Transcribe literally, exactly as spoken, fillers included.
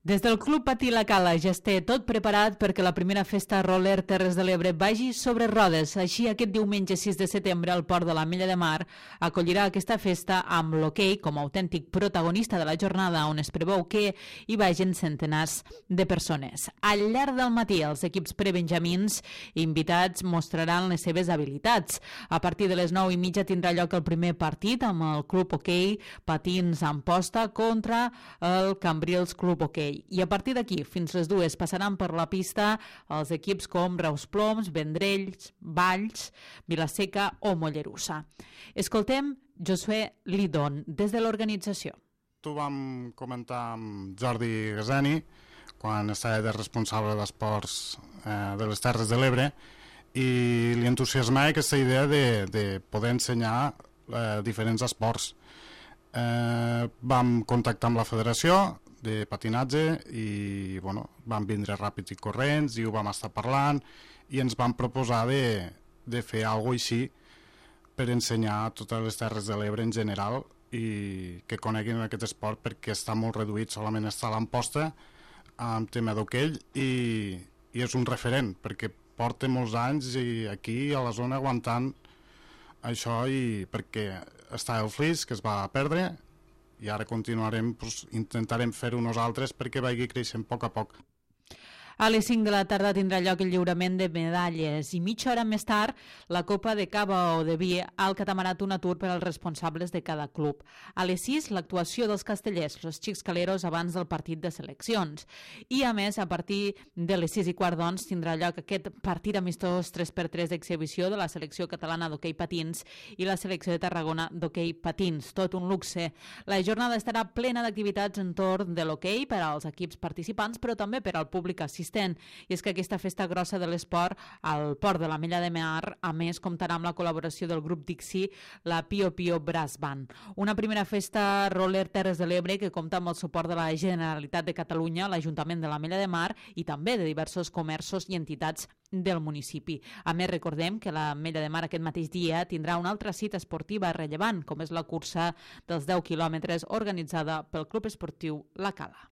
Des del Club Patí La Cala ja es té tot preparat perquè la primera festa roller Terres de l'Ebre vagi sobre rodes. Així, aquest diumenge sis de setembre, el Port de l'Ametlla de Mar acollirà aquesta festa amb l'hoquei com a autèntic protagonista de la jornada, on es preveu que hi vagin centenars de persones. Al llarg del matí, els equips prebenjamins invitats mostraran les seves habilitats. A partir de les nou i mitja tindrà lloc el primer partit amb el Club Hoquei Patins Amposta contra el Cambrils Club Hoquei. I a partir d'aquí, fins les dues, passaran per la pista els equips com Reus Ploms, Vendrells, Valls, Vilaseca o Mollerussa. Escoltem Josué Lidon, des de l'organització. Tu vam comentar amb Jordi Gasani, quan estava de responsable d'esports eh, de les Terres de l'Ebre, i li entusiasmava aquesta idea de, de poder ensenyar eh, diferents esports. Eh, vam contactar amb la federació de patinatge i bueno, vam vindre ràpids i corrents i ho vam estar parlant i ens vam proposar de, de fer alguna cosa així per ensenyar a totes les Terres de l'Ebre en general i que coneguin aquest esport, perquè està molt reduït, solament està a l'Amposta amb tema d'hoquei i, i és un referent perquè porta molts anys i aquí a la zona aguantant això, i perquè està el Flix, que es va perdre, i ara continuarem, doncs, intentarem fer-ho nosaltres perquè vagi creixent a poc a poc. A les cinc de la tarda tindrà lloc el lliurament de medalles i mitja hora més tard la copa de cava o de vi al catamarat Un Atur per als responsables de cada club. A les sis l'actuació dels castellers, els xics caleros, abans del partit de seleccions. I a més, a partir de les sis i quart doncs tindrà lloc aquest partit amistós tres per tres d'exhibició de la selecció catalana d'hoquei patins i la selecció de Tarragona d'hoquei patins. Tot un luxe. La jornada estarà plena d'activitats entorn de l'hoquei per als equips participants, però també per al públic assistent. I és que aquesta festa grossa de l'esport al Port de l'Ametlla de Mar, a més, comptarà amb la col·laboració del grup Dixi, la Pio Pio Brass Band. Una primera festa roller Terres de l'Ebre que compta amb el suport de la Generalitat de Catalunya, l'Ajuntament de l'Ametlla de Mar i també de diversos comerços i entitats del municipi. A més, recordem que l'Ametlla de Mar aquest mateix dia tindrà una altra cita esportiva rellevant, com és la cursa dels deu quilòmetres organitzada pel Club Esportiu La Cala.